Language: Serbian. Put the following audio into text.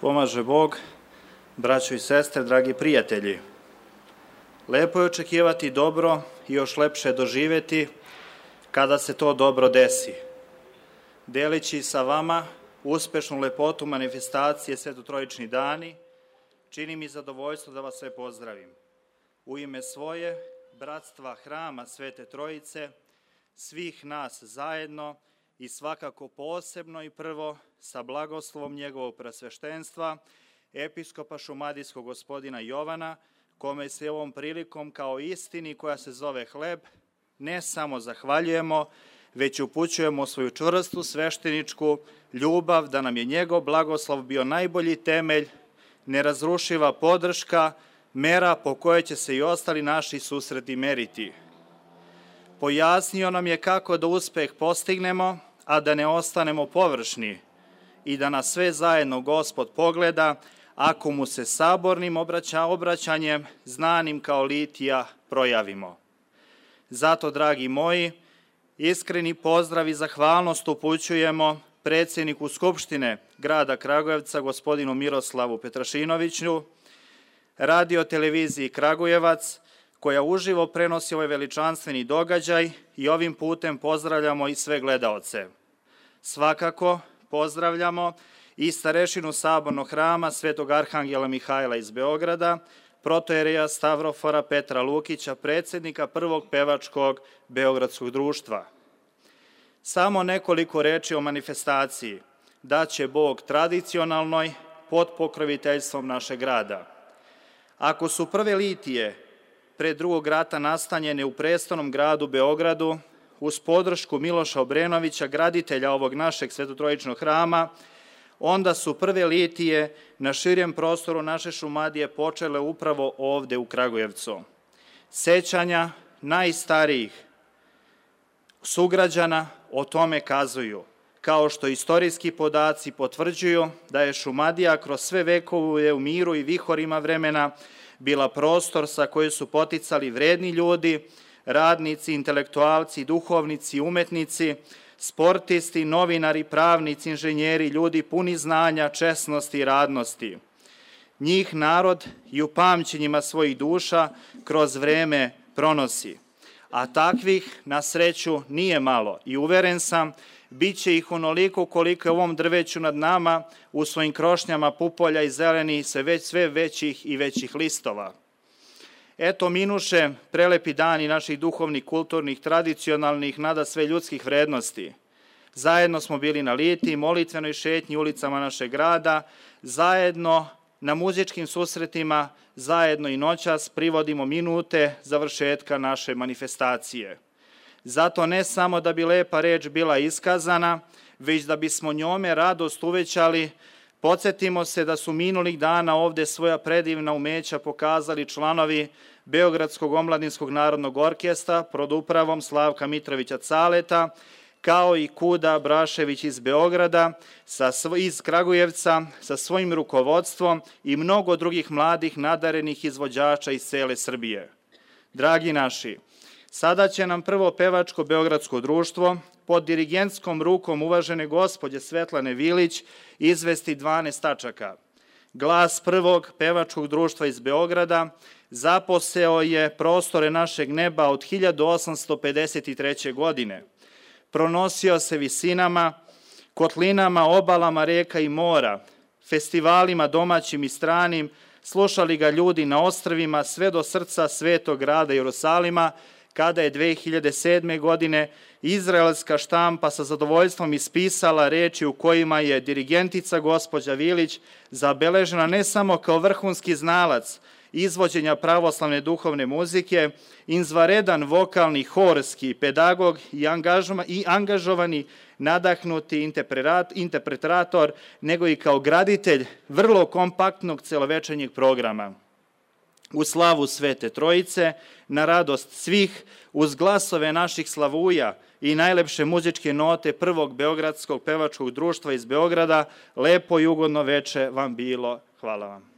Pomaže Bog, braćo i sestre, dragi prijatelji. Lepo je očekivati dobro i još lepše doživjeti kada se to dobro desi. Delići sa vama uspešnu lepotu manifestacije Svetotrojični dani, čini mi zadovoljstvo da vas sve pozdravim. U ime svoje, bratstva Hrama Svete Trojice, svih nas zajedno i svakako posebno i prvo sa blagoslovom njegovog presveštenstva, episkopa šumadijskog gospodina Jovana, kome se ovom prilikom kao istini koja se zove hleb, ne samo zahvaljujemo, već upućujemo svoju čvrstu svešteničku ljubav da nam je njegov blagoslov bio najbolji temelj, nerazrušiva podrška, mera po kojoj će se i ostali naši susreti meriti. Pojasnio nam je kako da uspeh postignemo, a da ne ostanemo površni i da nas sve zajedno Gospod pogleda, ako mu se sabornim obraćanjem, znanim kao litija, projavimo. Zato, dragi moji, iskreni pozdrav i zahvalnost upućujemo predsjedniku Skupštine grada Kragujevca, gospodinu Miroslavu Petrašinoviću, radio televiziji Kragujevac, koja uživo prenosi ovaj veličanstveni događaj i ovim putem pozdravljamo i sve gledaoce. Svakako pozdravljamo i starešinu Sabornog hrama Svetog Arhangela Mihajla iz Beograda, protojereja Stavrofora Petra Lukića, predsjednika prvog pevačkog beogradskog društva. Samo nekoliko reči o manifestaciji. Da će Bog tradicionalnoj pod pokroviteljstvom našeg grada. Ako su prve litije pre drugog rata nastanjene u prestolnom gradu Beogradu, uz podršku Miloša Obrenovića, graditelja ovog našeg Svetotrojičnog hrama, onda su prve litije na širem prostoru naše Šumadije počele upravo ovde u Kragujevcu. Sećanja najstarijih sugrađana o tome kazuju, kao što istorijski podaci potvrđuju da je Šumadija kroz sve vekove u miru i vihorima vremena bila prostor sa kojim su poticali vredni ljudi, radnici, intelektualci, duhovnici, umetnici, sportisti, novinari, pravnici, inženjeri, ljudi puni znanja, česnosti i radnosti. Njih narod i u pamćenjima svojih duša kroz vreme pronosi. A takvih, na sreću, nije malo i uveren sam, bit će ih onoliko koliko je u ovom drveću nad nama u svojim krošnjama pupolja i zeleni sve većih i većih listova. Eto minuše prelepi dani naših duhovnih, kulturnih, tradicionalnih, nada sve ljudskih vrednosti. Zajedno smo bili na litiji, molitvenoj šetnji ulicama našeg grada, zajedno na muzičkim susretima, zajedno i noćas privodimo minute završetka naše manifestacije. Zato ne samo da bi lepa reč bila iskazana, već da bismo njome radost uvećali. Podsjetimo se da su minulih dana ovde svoja predivna umeća pokazali članovi Beogradskog omladinskog narodnog orkestra pod upravom Slavka Mitrovića Caleta, kao i Kuda Brašević iz Beograda, iz Kragujevca, sa svojim rukovodstvom i mnogo drugih mladih nadarenih izvođača iz cele Srbije. Dragi naši, sada će nam prvo pevačko beogradsko društvo pod dirigentskom rukom uvažene gospođe Svetlane Vilić izvesti 12 tačaka. Glas prvog pevačkog društva iz Beograda zaposeo je prostore našeg neba od 1853. godine. Pronosio se visinama, kotlinama, obalama reka i mora, festivalima domaćim i stranim, slušali ga ljudi na ostrvima sve do srca svetog grada Jerusalima, kada je 2007. godine izraelska štampa sa zadovoljstvom ispisala reči u kojima je dirigentica gospođa Vilić zabeležena ne samo kao vrhunski znalac izvođenja pravoslavne duhovne muzike, izvanredan vokalni, horski pedagog i angažovani, nadahnuti interpretator, nego i kao graditelj vrlo kompaktnog celovečernjeg programa. U slavu Svete Trojice, na radost svih, uz glasove naših slavuja i najlepše muzičke note prvog beogradskog pevačkog društva iz Beograda, lepo i ugodno veče vam bilo. Hvala vam.